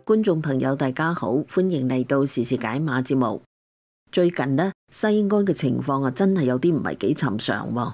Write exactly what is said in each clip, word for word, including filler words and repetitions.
觀眾朋友大家好，歡迎嚟到時事解碼節目。最近呢，西安嘅情況啊，真係有啲唔係幾尋常喎。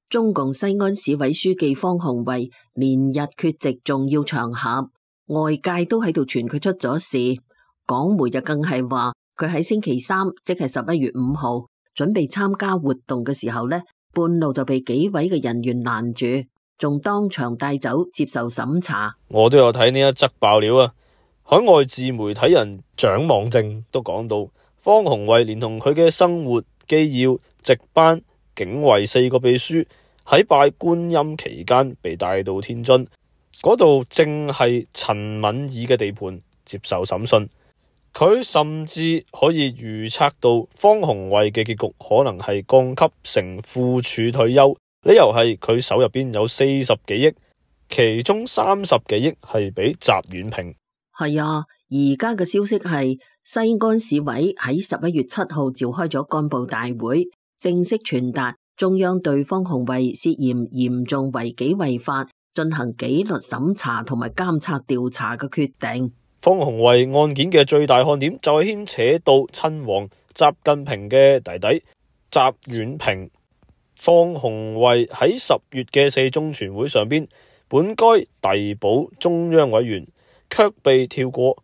中共西安市委書記方鴻慧連日缺席重要場合，外界都喺度傳佢出咗事。港媒就更係話佢喺星期三，即係十一月五號，準備參加活動嘅時候呢，半路就被幾位嘅人員攔住，仲當場帶走接受審查。我都有睇呢一則爆料啊！海外自媒體人蔣望正都講到，方鴻慧連同佢嘅生活、機要、值班、警衛四個秘書喺拜觀音期間被帶到天津，嗰度正係陳敏爾嘅地盤接受審訊。佢甚至可以預測到方鴻慧嘅結局可能係降級成副處退休，理由係佢手入邊有四十幾億，其中三十幾億係俾習遠平。係啊，而家嘅消息係西安市委喺十一月七號召開咗幹部大會，正式傳達中央對方鴻慧涉嫌嚴重違紀違法進行紀律審查同埋監察調查嘅決定。方鴻慧案件嘅最大看點就係牽扯到親王習近平嘅弟弟習遠平。方鴻慧喺十月嘅四中全會上邊，本該遞補中央委員，卻被跳過。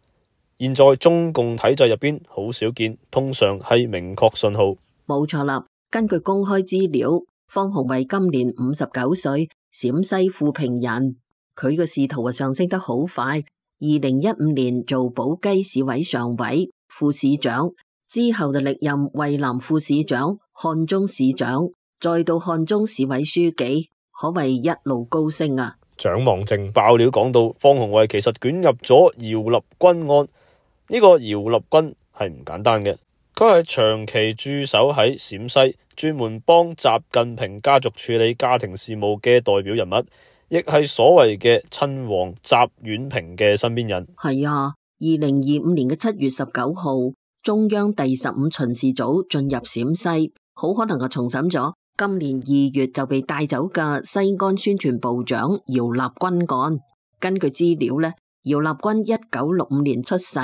現在中共體制入邊好少見，通常係明確信號。冇錯啦，根據公開資料，方鴻慧今年五十九歲，陝西富平人。佢嘅仕途啊上升得好快，二零一五年做寶雞市委常委、副市長，之後就歷任渭南副市長、漢中市長，再到漢中市委書記，可謂一路高升啊！蔣望正爆料講到，方鴻慧其實捲入咗姚立軍案。呢、這個姚立軍係唔簡單嘅，佢係長期駐守喺陝西，專門幫習近平家族處理家庭事務嘅代表人物，亦係所謂嘅親王習遠平嘅身邊人。係啊，二零二五年嘅七月十九號，中央第十五巡視組進入陝西，好可能係重審咗今年二月就被帶走嘅西安宣傳部長姚立軍案。根據資料呢，姚立軍一九六五年出世，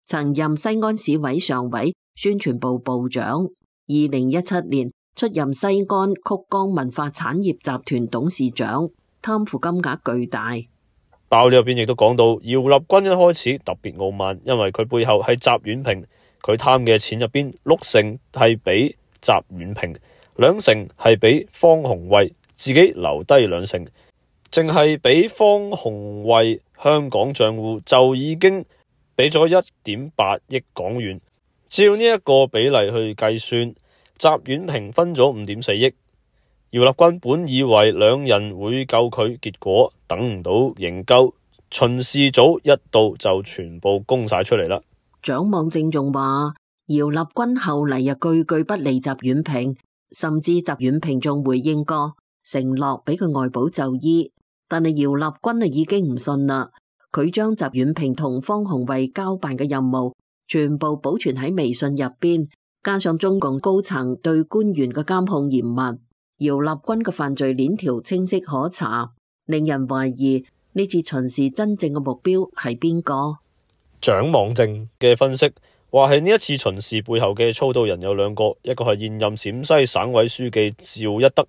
曾任西安市委常委、宣傳部部長。二零一七年出任西安曲江文化產業集團董事長，貪腐金額巨大。爆料入邊亦都講到，姚立軍一開始特別傲慢，因為佢背後係習遠平，佢貪嘅錢入邊六成係俾習遠平，兩成係俾方鴻慧，自己留低兩成，淨係俾方鴻慧香港賬戶就已經俾咗一點八億港元。照呢一個比例去計算，習遠平分咗五點四億。姚立軍本以為兩人會救佢，結果等唔到營救，巡視組一到就全部供晒出嚟啦。蔣望正仲話，姚立軍後嚟又句句不離習遠平，甚至習遠平仲回應過，承諾俾佢外保就醫。但係姚立軍啊已經唔信啦，佢將習遠平同方鴻慧交辦嘅任務全部保存喺微信入邊，加上中共高層對官員嘅監控嚴密，姚立軍嘅犯罪鏈條清晰可查，令人懷疑呢次巡視真正嘅目標係邊個？蔣望正嘅分析話係呢一次巡視背後嘅操刀人有兩個，一個係現任陝西省委書記趙一德，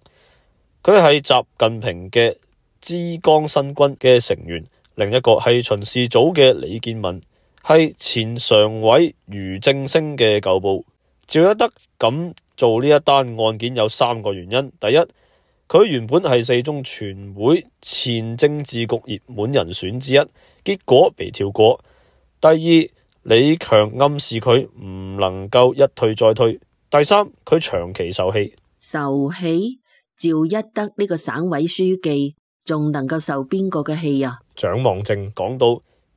佢係習近平嘅枝江新軍嘅成員；另一個係巡視組嘅李建文，係前常委俞正聲嘅舊部。趙一德咁做呢一單案件有三個原因：第一，佢原本係四中全會前政治局熱門人選之一，結果被跳過；第二，李強暗示佢唔能夠一退再退；第三，佢長期受氣。受氣？趙一德呢個省委書記仲能夠受邊個嘅氣啊？蔣望正講到，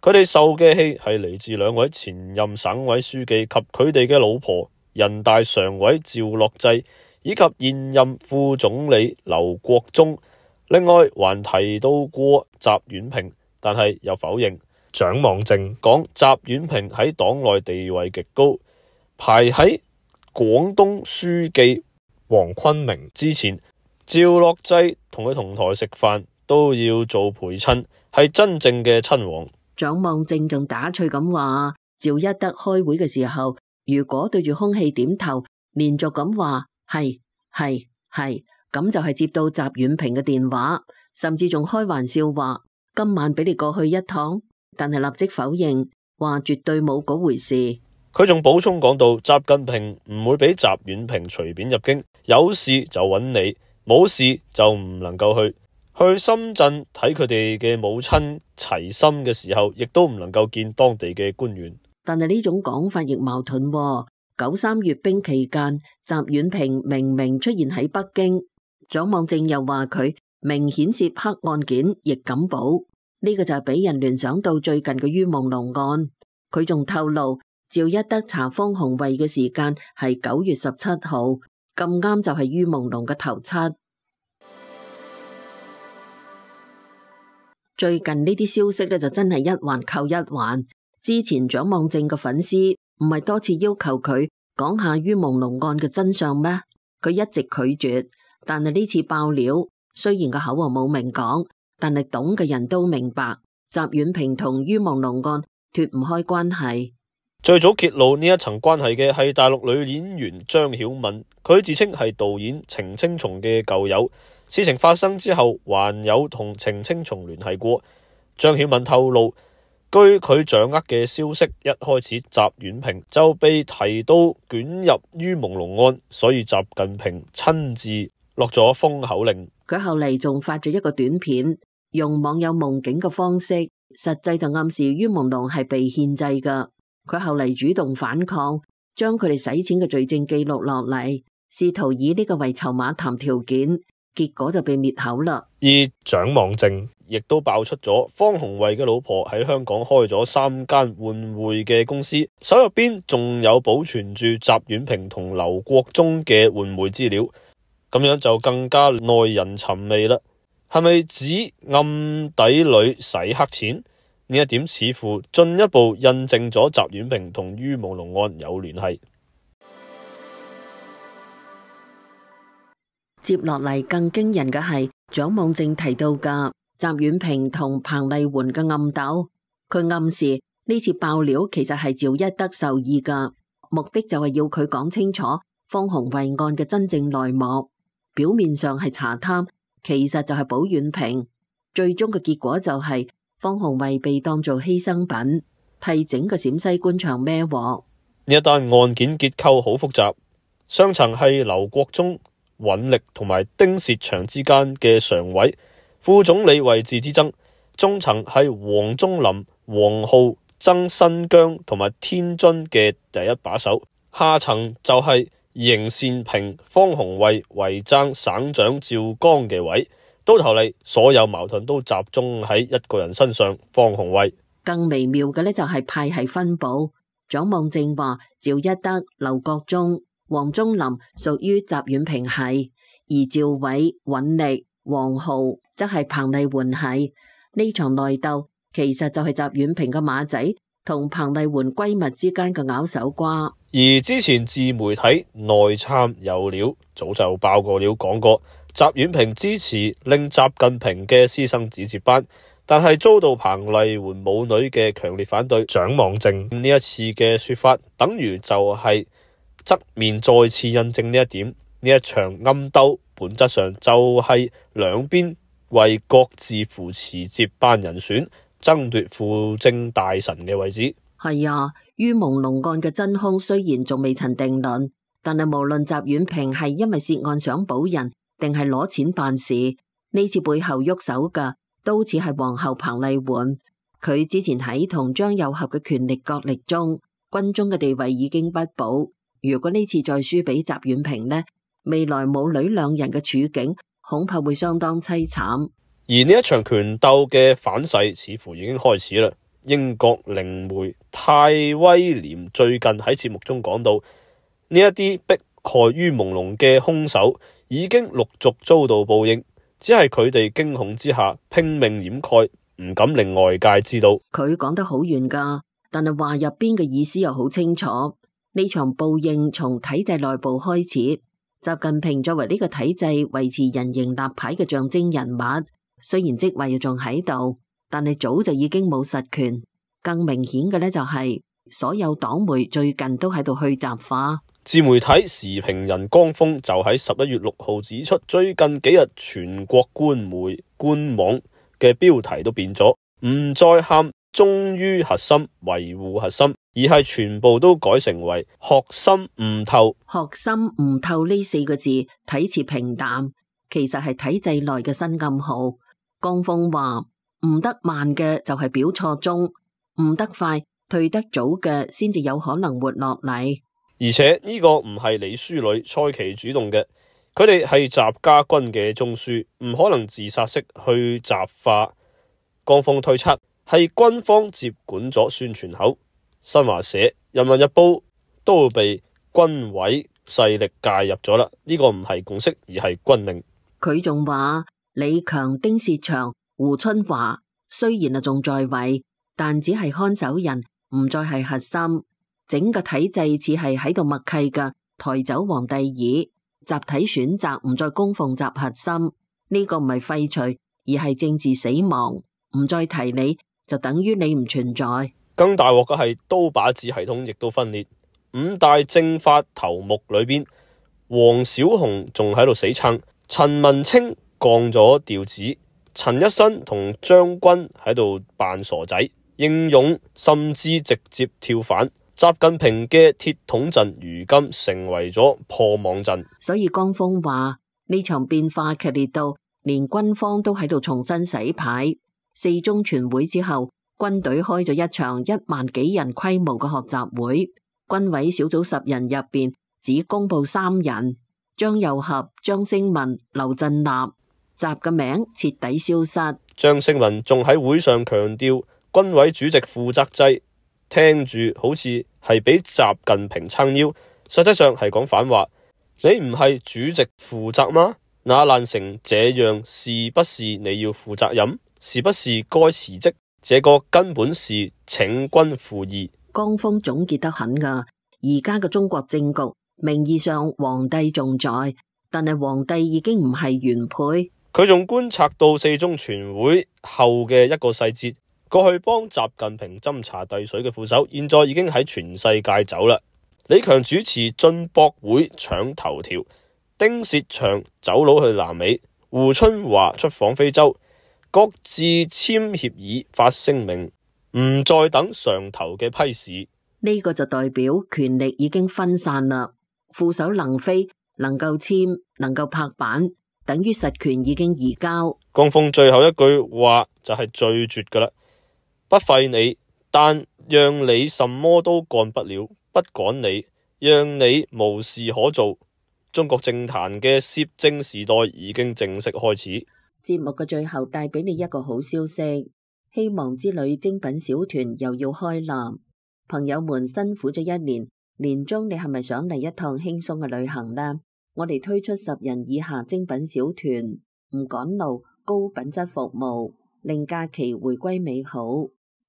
佢哋受嘅氣係嚟自兩位前任省委書記及佢哋嘅老婆，人大常委趙樂際以及現任副總理劉國中。另外還提到過習遠平，但係又否認。蔣望正講，習遠平喺黨內地位極高，排喺廣東書記黃坤明之前。趙樂際同佢同台食飯，都要做陪襯，係真正嘅親王。蔣望正仲打趣咁話，趙一德開會嘅時候，如果對住空氣點頭，連續咁話係係係，咁就係接到習遠平嘅電話，甚至仲開玩笑話今晚俾你過去一趟，但係立即否認，話絕對冇嗰回事。佢仲補充講到，習近平唔會俾習遠平隨便入京，有事就揾你，冇事就唔能夠去。去深圳睇佢哋嘅母親齊心嘅時候，亦都唔能夠見當地嘅官員。但係呢種講法亦矛盾喎。九三閱兵期間，習遠平明明出現喺北京，蔣望正又話佢明顯涉黑案件，亦敢保。呢、這個就係俾人聯想到最近嘅于夢龍案。佢仲透露，趙一德查方鴻慧嘅時間係九月十七號，咁啱就係于夢龍嘅頭七。最近呢啲消息咧就真係一環扣一環。之前蔣望正嘅粉絲唔係多次要求佢講下于夢龍案嘅真相咩？佢一直拒絕。但係呢次爆料，雖然個口啊冇明講，但係懂嘅人都明白，習遠平同于夢龍案脫唔開關係。最早揭露呢一層關係嘅係大陸女演員張曉敏，佢自稱係導演程青松嘅舊友。事情發生之後，還有同程青松聯繫過。張曉敏透露，據佢掌握嘅消息，一開始習遠平就被提到捲入于夢龍案，所以習近平親自落咗封口令。佢後嚟仲發咗一個短片，用網友夢境嘅方式，實際就暗示于夢龍係被獻祭噶。佢後嚟主動反抗，將佢哋使錢嘅罪證記錄落嚟，試圖以呢個為籌碼談條件。結果就被滅口啦。而蔣望正亦都爆出咗方鴻慧嘅老婆喺香港開咗三間換匯嘅公司，手入邊仲有保存住習遠平同劉國中嘅換匯資料，咁樣就更加耐人尋味啦。係咪指暗底裏洗黑錢？呢一點似乎進一步印證咗習遠平同于夢龍案有聯繫。接落嚟更驚人嘅係蔣望正提到嘅習遠平同彭麗媛嘅暗鬥。佢暗示呢次爆料其實係趙一德授意嘅，目的就係要佢講清楚方鴻慧案嘅真正內幕。表面上係查貪，其實就係保遠平。最終嘅結果就係方鴻慧被當做犧牲品，替整個陝西官場孭鑊。呢一單案件結構好複雜，上層係劉國中、尹力同埋丁薛祥之間嘅常委、副總理位置之爭，中層係王忠林、王浩、曾新疆同埋天津嘅第一把手，下層就係邢善平、方鴻慧為爭省長趙剛嘅位。到頭嚟，所有矛盾都集中喺一個人身上，方鴻慧。更微妙嘅呢，就係派系分佈。蔣望正話趙一德、劉國中、王忠林屬於習遠平系，而趙偉、尹力、王浩則係彭麗媛系。呢場內鬥其實就係習遠平嘅馬仔同彭麗媛閨蜜之間嘅拗手瓜。而之前自媒體內參有料，早就爆過料講過，習遠平支持令習近平嘅私生子接班，但係遭到彭麗媛母女嘅強烈反對。蔣望正呢一次嘅說法，等於就係側面再次印證呢一點。呢一場暗鬥本質上就係兩邊為各自扶持接班人選，爭奪輔政大臣嘅位置。係啊，于夢龍案嘅真兇雖然仲未曾定論，但係無論習遠平係因為涉案想保人，定係攞錢辦事，呢次背後喐手嘅都似係皇后彭麗媛。佢之前喺同張又俠嘅權力角力中，軍中嘅地位已經不保。如果呢次再輸俾習遠平呢，未來母女兩人嘅處境恐怕會相當淒慘。而呢一場權鬥嘅反噬似乎已經開始啦。英國靈媒泰威廉最近喺節目中講到，呢一啲迫害于夢龍嘅兇手已經陸續遭到報應，只係佢哋驚恐之下拼命掩蓋，唔敢令外界知道。佢講得好遠噶，但係話入邊嘅意思又好清楚。呢場報應從體制內部開始，習近平作為呢個體制維持人形立牌嘅象徵人物，雖然職位仲喺度，但係早就已經冇實權。更明顯嘅呢，就係所有黨媒最近都喺度去雜化。自媒體時評人江峰就喺十一月六號指出，最近幾日全國官媒官網嘅標題都變咗，唔再喊忠於核心、維護核心，而係全部都改成為學心悟透。學心悟透呢四個字睇似平淡，其實係體制內嘅新暗號。江峰話：悟得慢嘅就係表錯中，悟得快、退得早嘅先至有可能活落嚟。而且呢個唔係李書磊、蔡奇主動嘅，佢哋係習家軍嘅中樞，唔可能自殺式去習化。江峰推測係軍方接管咗宣傳口，新華社、人民日報都被軍委勢力介入咗啦。呢個唔係共識，而係軍令。佢仲話李強、丁薛祥、胡春華雖然啊仲在位，但只係看守人，唔再係核心。整個體制似係喺度默契嘅抬走皇帝椅，集體選擇唔再供奉習核心。呢、這個唔係廢除，而係政治死亡。唔再提你，就等於你唔存在。更大鑊嘅係刀把子系統亦都分裂。五大政法頭目裏邊，黃小紅仲喺度死撐，陳文清降咗調子，陳一新同張軍喺度扮傻仔，英勇甚至直接跳反。習近平嘅鐵桶陣如今成為咗破網陣。所以江峰話呢場變化劇烈到連軍方都喺度重新洗牌。四中全會之後，軍隊開咗一場一萬幾人規模嘅學習會。軍委小組十人入邊只公布三人：張又俠、張升民、劉振立。習嘅名徹底消失。張升民仲喺會上強調軍委主席負責制，聽住好似係俾習近平撐腰，實際上係講反話。你唔係主席負責嗎？那爛成這樣，是不是你要負責任？是不是該辭職？這個根本是請君赴義。江峰總結得很噶，而家嘅中國政局名義上皇帝仲在，但係皇帝已經唔係原配。佢仲觀察到四中全會後嘅一個細節，過去幫習近平斟茶遞水嘅副手，現在已經喺全世界走啦。李強主持進博會搶頭條，丁薛祥走佬去南美，胡春華出訪非洲。各自簽協議發聲明，唔再等上頭嘅批示。呢個就代表權力已經分散啦。副手能飛，能夠簽，能夠拍板，等於實權已經移交。江峰最後一句話就係最絕噶啦，不廢你，但讓你什麼都幹不了；不趕你，讓你無事可做。中國政壇嘅攝政時代已經正式開始。節目嘅最後帶俾你一個好消息，希望之旅精品小團又要開啦！朋友們辛苦咗一年，年終你係咪想嚟一趟輕鬆嘅旅行呢？我哋推出十人以下精品小團，唔趕路，高品質服務，令假期回歸美好。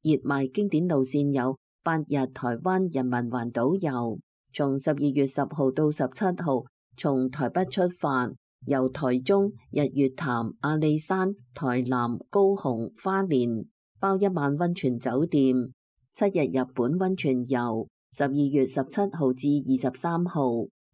熱賣經典路線有八日台灣人民環島遊，從十二月十號到十七號，從台北出發。由台中、日月潭、阿里山、台南、高雄、花蓮包一晚溫泉酒店，七日日本溫泉遊，十二月十七號至二十三號，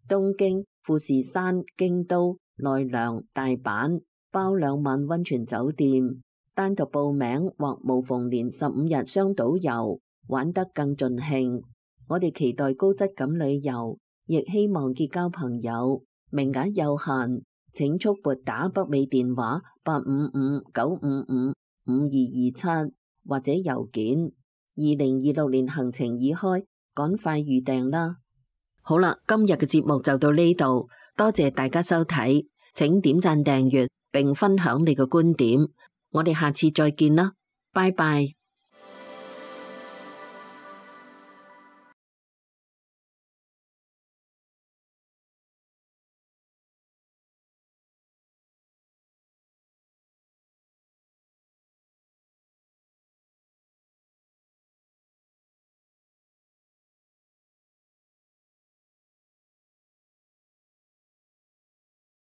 東京、富士山、京都、奈良、大阪包兩晚溫泉酒店，單獨報名或無縫連十五日雙島遊，玩得更盡興。我哋期待高質感旅遊，亦希望結交朋友，名額有限。請速撥打北美電話八五五九五五五二二七或者郵件。二零二六年行程已開，趕快預訂啦！好啦，今日嘅節目就到呢度，多謝大家收睇，請點讚訂閱並分享你嘅觀點，我哋下次再見啦，拜拜。